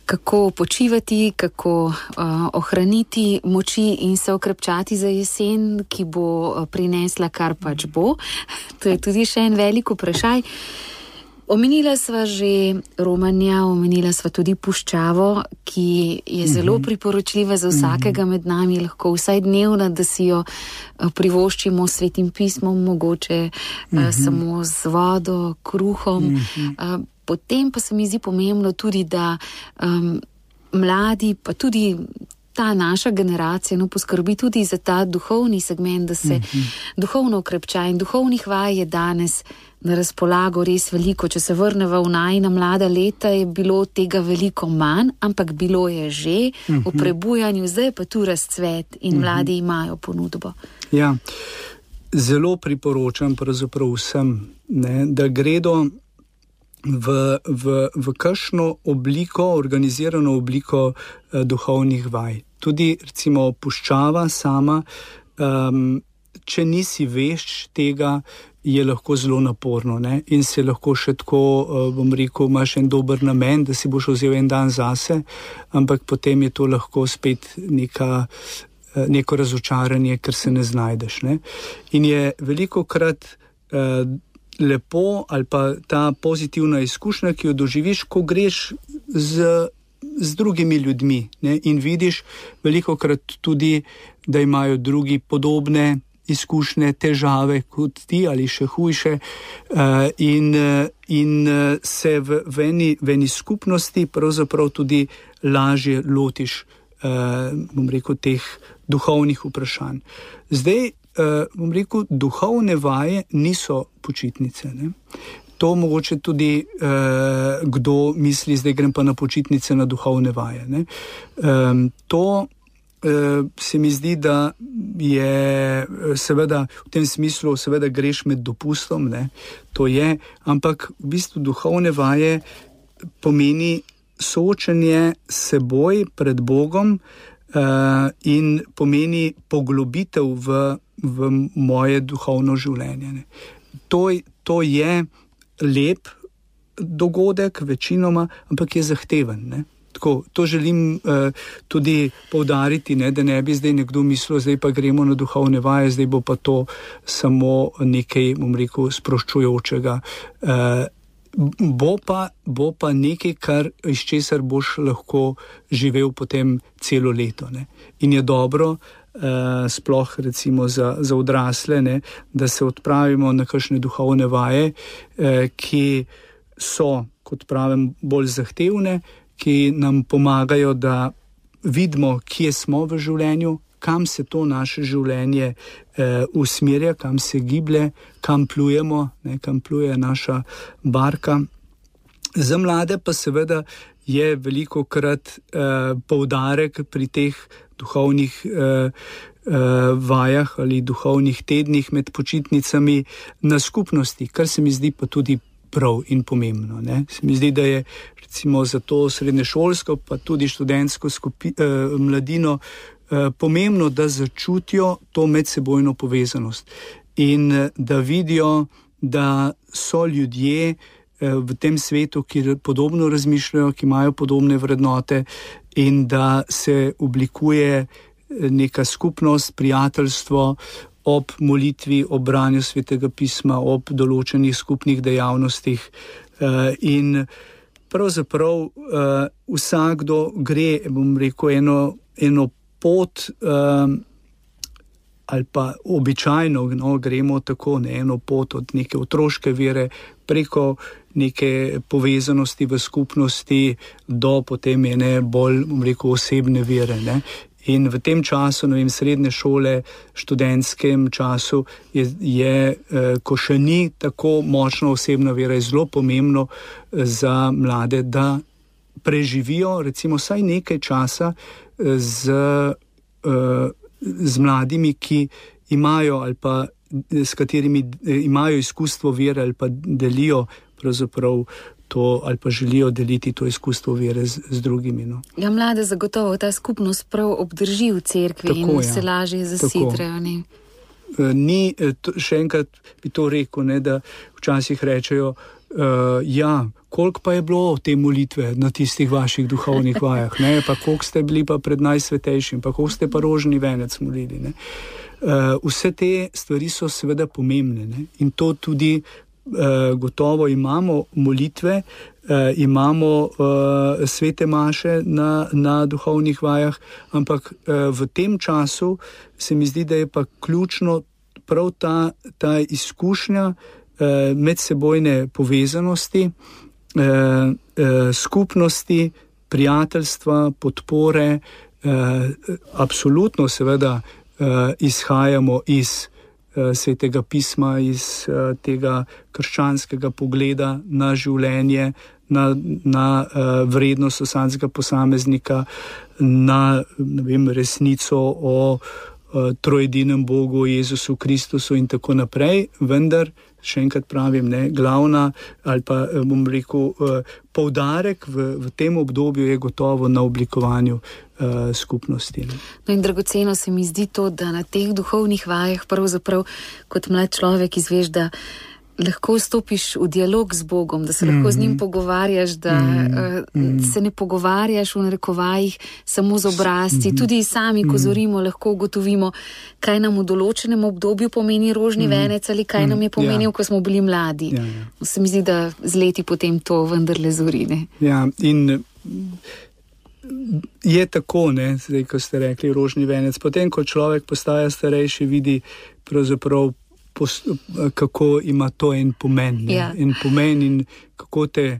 kako počivati, kako uh, ohraniti moči in se okrepčati za jesen, ki bo prinesla kar pač bo. To je tudi še en velik vprašaj. Omenila sva že Romanja, omenila sva tudi puščavo, ki je zelo priporočljiva za vsakega med nami, lahko vsaj dnevna, da si jo privoščimo s Svetim pismom, mogoče uh-huh. samo z vodo, kruhom. Uh-huh. Potem pa se mi zdi pomembno tudi, da um, mladi, pa tudi ta naša generacija, no, poskrbi tudi za ta duhovni segment, da se uh-huh. duhovno okrepča, in duhovnih vaj je danes na razpolago res veliko. Če se vrneva v najina mlada leta, je bilo tega veliko manj, ampak bilo je že uh-huh. v prebujanju, zdaj pa tu razcvet in uh-huh. mladi imajo ponudbo. Ja, zelo priporočam pravzaprav vsem, ne, da gredo v, v, v kakšno obliko, organizirano obliko eh, duhovnih vaj. Tudi recimo puščava sama, um, če nisi vešč tega, je lahko zelo naporno, ne? In se lahko še tako, bom rekel, imaš en dober namen, da si boš vzel en dan zase, ampak potem je to lahko spet neka, neko razočaranje, ker se ne znajdeš. Ne? In je velikokrat eh, lepo ali pa ta pozitivna izkušnja, ki jo doživiš, ko greš z, z drugimi ljudmi, ne? In vidiš velikokrat tudi, da imajo drugi podobne izkušnje, težave kot ti ali še hujše uh, in, in se v, v, eni, v eni skupnosti pravzaprav tudi lažje lotiš, uh, bom rekel, teh duhovnih vprašanj. Zdaj, uh, bom rekel, duhovne vaje niso počitnice, ne? To mogoče tudi uh, kdo misli, zdaj grem pa na počitnice, na duhovne vaje, ne? Um, to se mi zdi, da je seveda v tem smislu, seveda greš med dopustom, ne, to je, ampak v bistvu duhovne vaje pomeni soočenje s seboj pred Bogom uh, in pomeni poglobitev v, v moje duhovno življenje. Ne. To, to je lep dogodek večinoma, ampak je zahteven, ne. Tako, to želim uh, tudi poudariti, ne, da ne bi zdaj nekdo mislil, zdaj pa gremo na duhovne vaje, zdaj bo pa to samo nekaj, bom rekel, sproščujočega. Uh, bo pa, bo pa nekaj, kar, iz česar boš lahko živel potem celo leto. Ne. In je dobro, Uh, sploh recimo za, za odrasle, ne, da se odpravimo na kakšne duhovne vaje, eh, ki so, kot pravim, bolj zahtevne, ki nam pomagajo, da vidimo, kje smo v življenju, kam se to naše življenje eh, usmerja, kam se giblje, kam plujemo, ne, kam pluje naša barka. Za mlade pa seveda je veliko krat eh, poudarek pri teh duhovnih eh, eh, vajah ali duhovnih tednih med počitnicami na skupnosti, kar se mi zdi pa tudi prav in pomembno. Ne? Se mi zdi, da je recimo za to srednješolsko pa tudi študentsko skupi, eh, mladino eh, pomembno, da začutijo to medsebojno povezanost in eh, da vidijo, da so ljudje v tem svetu, ki podobno razmišljajo, ki imajo podobne vrednote in da se oblikuje neka skupnost, prijateljstvo ob molitvi, ob branju Svetega pisma, ob določenih skupnih dejavnostih. In pravzaprav vsakdo gre, bom rekel, eno, eno pot, ali pa običajno no, gremo tako, ne, eno pot od neke otroške vere preko neke povezanosti v skupnosti do potem ene bolj, bom rekel, osebne vere. Ne. In v tem času, ne vem, srednje šole, študentskem času, je, je, ko še ni tako močna osebna vera, je zelo pomembno za mlade, da preživijo recimo vsaj nekaj časa z, z mladimi, ki imajo ali pa s katerimi imajo izkustvo vere ali pa delijo pravzaprav to ali pa želijo deliti to izkustvo vere z, z drugimi. No. Ja, mlade zagotovo ta skupnost prav obdrži v cerkvi. Tako, in ja. Se lažje zasidrajo. Ne? Ni, to, še enkrat bi to rekel, ne, da včasih rečejo, uh, ja, koliko pa je bilo te molitve na tistih vaših duhovnih vajah, ne, pa koliko ste bili pa pred najsvetejšim, pa koliko ste pa rožni venec molili. Ne. Uh, vse te stvari so seveda pomembne, ne, in to tudi Uh, gotovo imamo molitve, uh, imamo uh, svete maše na, na duhovnih vajah, ampak uh, v tem času se mi zdi, da je pa ključno prav ta, ta izkušnja uh, medsebojne povezanosti, uh, uh, skupnosti, prijateljstva, podpore. Uh, absolutno seveda uh, izhajamo iz Svetega pisma, iz uh, tega krščanskega pogleda na življenje, na, na uh, vrednost vsakega posameznika, na ne vem, resnico o uh, trojedinem Bogu, Jezusu Kristusu in tako naprej, vendar, še enkrat pravim, ne, glavna ali pa, bom rekel, uh, poudarek v, v tem obdobju je gotovo na oblikovanju uh, skupnosti. Ne. No in dragoceno se mi zdi to, da na teh duhovnih vajah pravzaprav kot mlad človek izveš, da lahko stopiš v dialog z Bogom, da se lahko mm-hmm. z njim pogovarjaš, da mm-hmm. uh, se ne pogovarjaš v narekovajih samo z obrazci. Mm-hmm. Tudi sami, ko zorimo, lahko ugotovimo, kaj nam v določenem obdobju pomeni rožni mm-hmm. venec ali kaj mm-hmm. nam je pomenil, ja. Ko smo bili mladi. Ja, ja. Se mi zdi, da z leti potem to vendarle zorine. Ja, in je tako, ne, zdaj, ko ste rekli rožni venec. Potem, ko človek postaja starejši, vidi pravzaprav kako ima to en pomen, ja. en pomen in kako te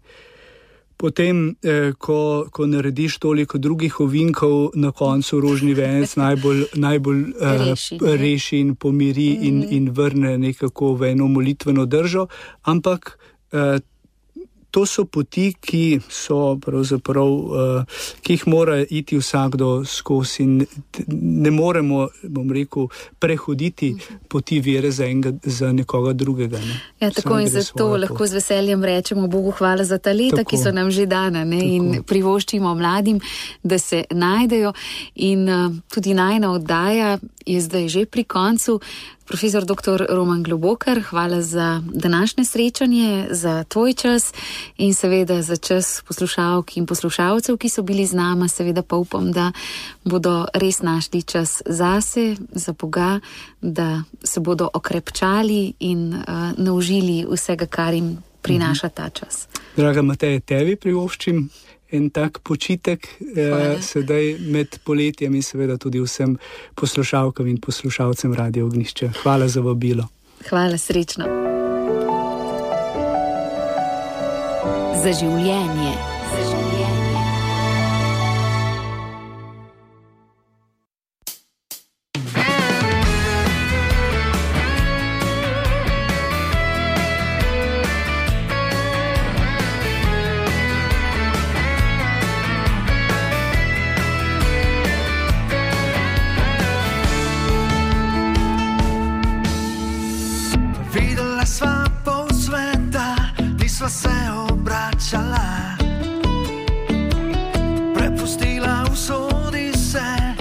potem, eh, ko, ko narediš toliko drugih ovinkov, na koncu rožni venec najbolj, najbolj eh, reši, reši in pomiri mm. in, in vrne nekako v eno molitveno držo, ampak eh, to so poti, ki so pravzaprav, uh, ki jih mora iti vsakdo skozi in ne moremo, bom rekel, prehoditi poti vere za, enega, za nekoga drugega. Ne. Ja, tako in zato lahko z veseljem rečemo Bogu hvala za ta leta, tako, ki so nam že dana, ne, in privoščimo mladim, da se najdejo in uh, tudi najna oddaja je zdaj že pri koncu. Profesor doktor Roman Globokar, hvala za današnje srečanje, za tvoj čas in seveda za čas poslušalk in poslušalcev, ki so bili z nama. Seveda pa upam, da bodo res našli čas zase, za Boga, da se bodo okrepčali in uh, naužili vsega, kar jim prinaša ta čas. Draga Mateja, tebi privoščim en tak počitek eh, sedaj med poletjem in seveda tudi vsem poslušalkam in poslušalcem Radio Ognjišče. Hvala za vabilo. Hvala, srečno. Za življenje. Za življenje. Se obračala, prepustila usodi se,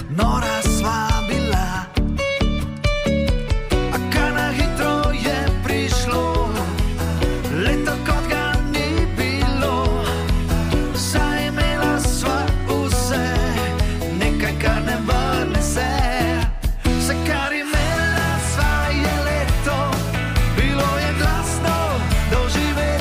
nora sva bila. A kaj na hitro je prišlo, leto kot ga ni bilo. Saj imela sva vse, nekaj kar ne vrne se. Vse kar imela sva je leto, bilo je glasno doživeti.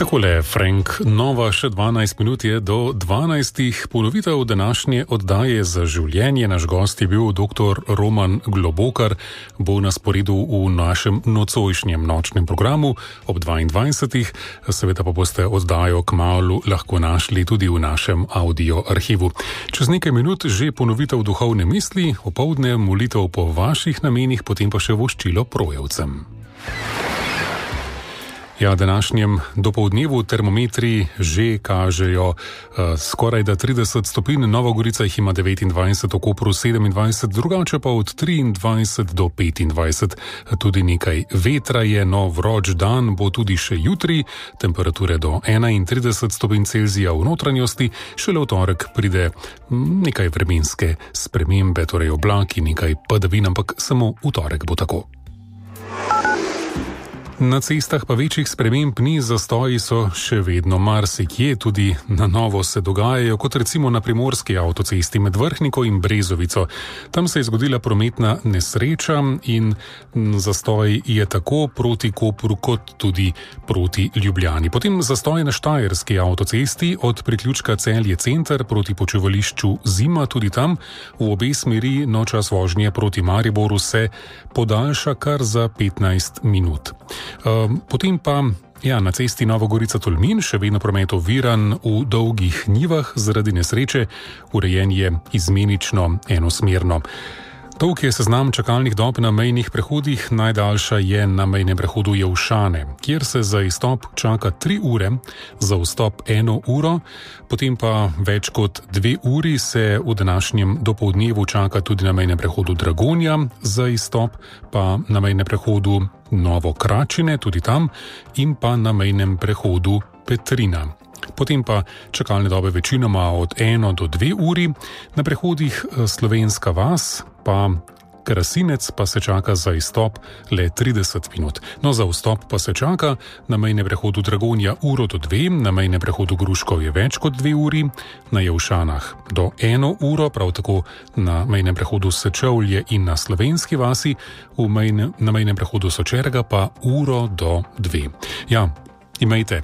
Takole, Frank, nova še dvanajst minut je do dvanajstih. Ponovitev današnje oddaje Za življenje. Naš gost je bil doktor Roman Globokar, bo na sporedu v našem nocojšnjem nočnem programu ob dvaindvajsetih. Seveda pa boste oddajo kmalu lahko našli tudi v našem audio arhivu. Čez nekaj minut že ponovitev duhovne misli, opoldne molitev po vaših namenih, potem pa še voščilo projevcem. Ja, današnjem dopoldnevu termometri že kažejo uh, skoraj da trideset stopinj, Nova Gorica jih ima devetindvajset, v Kopru sedemindvajset, drugače pa od triindvajset do petindvajset. Tudi nekaj vetra je, no vroč dan bo tudi še jutri, temperature do enaintrideset stopinj Celzija v notranjosti, šele v torek pride nekaj vremenske spremembe, torej oblaki, nekaj padavin, ampak samo v torek bo tako. Na cestah pa večjih sprememb ni, zastoji so še vedno marsikje, tudi na novo se dogajajo, kot recimo na primorski avtocesti med Vrhniko in Brezovico. Tam se je zgodila prometna nesreča in zastoj je tako proti Kopru kot tudi proti Ljubljani. Potem zastoj na štajerski avtocesti od priključka Celje center proti počivališču Zima, tudi tam v obe smeri, no čas vožnje proti Mariboru se podaljša kar za petnajst minut. Potem pa ja, na cesti Nova Gorica-Tolmin še vedno promet oviran v dolgih njivah zaradi nesreče, urejen je izmenično enosmerno. Dolg je seznam čakalnih dob na mejnih prehodih, najdaljša je na mejnem prehodu Jelšane, kjer se za izstop čaka tri ure, za vstop eno uro, potem pa več kot dve uri se v današnjem dopoldnevu čaka tudi na mejnem prehodu Dragonja, za izstop pa na mejnem prehodu Novo Kračine, tudi tam, in pa na mejnem prehodu Petrina. Potem pa čakalne dobe večinoma od eno do dve uri, na prehodih Slovenska vas pa Krasinec pa se čaka za izstop le trideset minut. No, za vstop pa se čaka na mejnem prehodu Dragonja uro do dve, na mejnem prehodu Gruškov je več kot dve uri, na Jelšanah do eno uro, prav tako na mejnem prehodu Sečovlje in na Slovenski vasi, v mejne, na mejnem prehodu Sočerga pa uro do dve. Ja, imejte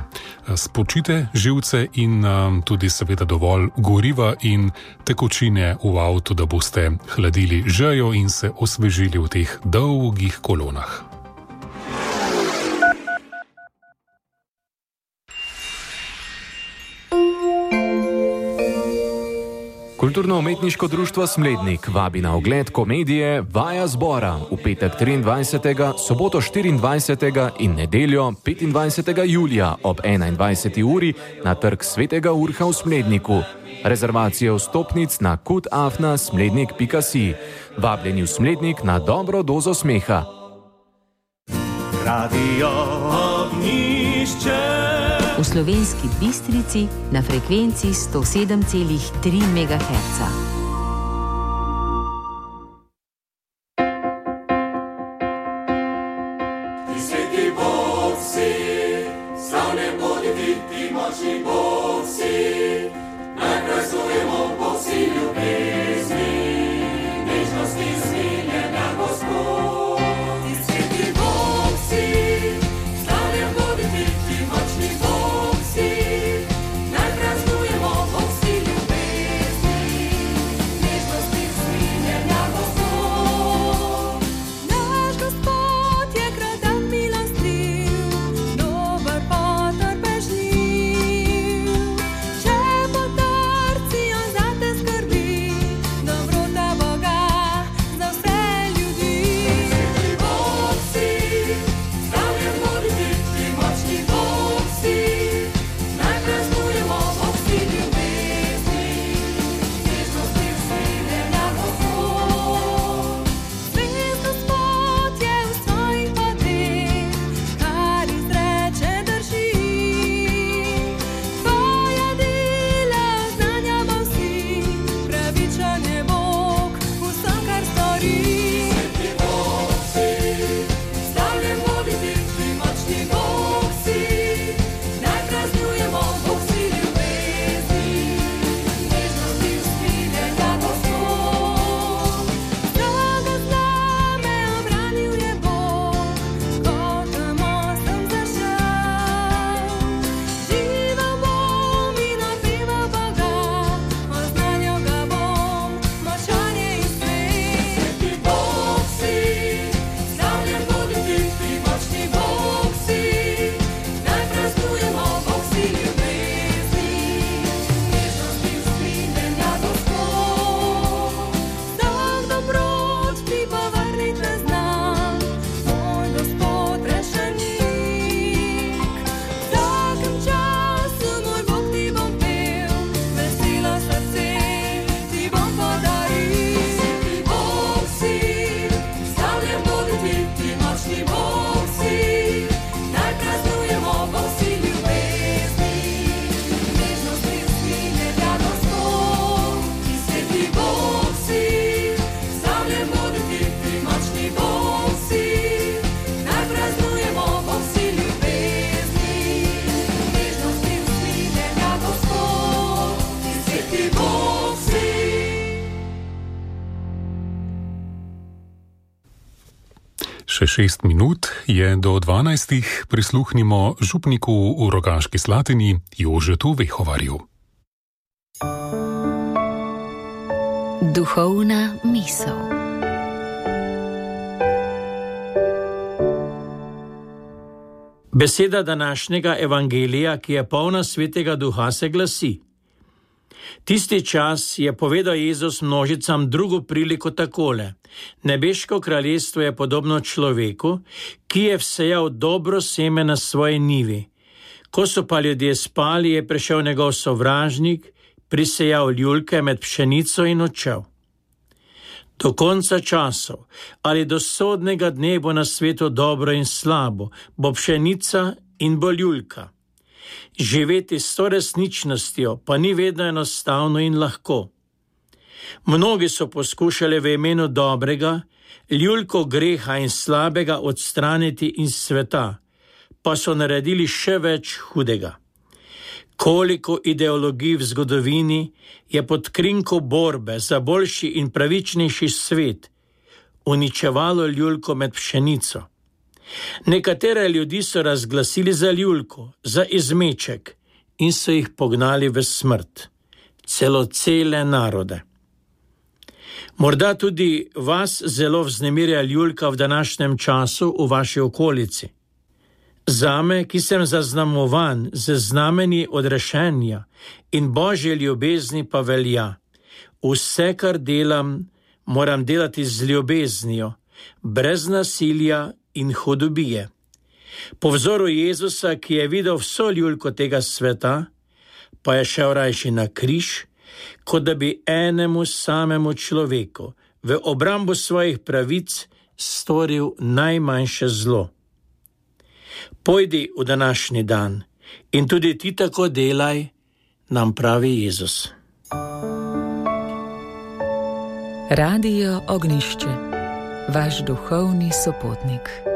spočite živce in um, tudi seveda dovolj goriva in tekočine v avtu, da boste hladili žejo in se osvežili v teh dolgih kolonah. Kulturno-umetniško društvo Smlednik vabi na ogled komedije Vaja zbora v petek triindvajsetega, soboto štiriindvajsetega in nedeljo petindvajsetega julija ob enaindvajseti uri na trg Svetega Urha v Smledniku. Rezervacije vstopnic na kutafna smlednik pika si. Vabljeni v Smlednik na dobro dozo smeha. Radio Ognjišče. V Slovenski Bistrici na frekvenci sto sedem celih tri megaherca. Ti sveti Bog si, slavne bodi ti, ti močni Bog si, naj praznujemo Bog si ljubezni, nežnosti smiljenja Gospod. Ti sveti Bog si, slavne bodi ti, ti močni Bog si, naj praznujemo Bog si ljubezni, Bog si. Še šest minut je do dvanajstih, prisluhnimo župniku v Rogaški Slatini Jožetu Vehovarju. Duhovna misel. Beseda današnjega evangelija, ki je polna svetega duha, se glasi: Tisti čas je povedal Jezus množicam drugo priliko takole: Nebeško kraljestvo je podobno človeku, ki je vsejal dobro seme na svoji njivi. Ko so pa ljudje spali, je prišel njegov sovražnik, prisejal ljulke med pšenico in odšel. Do konca časov ali do sodnega dne bo na svetu dobro in slabo, bo pšenica in bo ljulka. Živeti s to resničnostjo pa ni vedno enostavno in lahko. Mnogi so poskušali v imenu dobrega ljulko greha in slabega odstraniti iz sveta, pa so naredili še več hudega. Koliko ideologij v zgodovini je pod krinko borbe za boljši in pravičnejši svet uničevalo ljulko med pšenico. Nekatere ljudi so razglasili za ljulko, za izmeček in so jih pognali v smrt, celo cele narode. Morda tudi vas zelo vznemirja ljulka v današnjem času v vaši okolici. Zame, ki sem zaznamovan z znamenji odrešenja in Božje ljubezni, pa velja: vse, kar delam, moram delati z ljubeznijo, brez nasilja in hudobije. Po vzoru Jezusa, ki je videl vso ljulko tega sveta, pa je šel rajši na križ, kot da bi enemu samemu človeku v obrambo svojih pravic storil najmanjše zlo. Pojdi v današnji dan in tudi ti tako delaj, nam pravi Jezus. Radio Ognjišče, vaš duhovni sopotnik.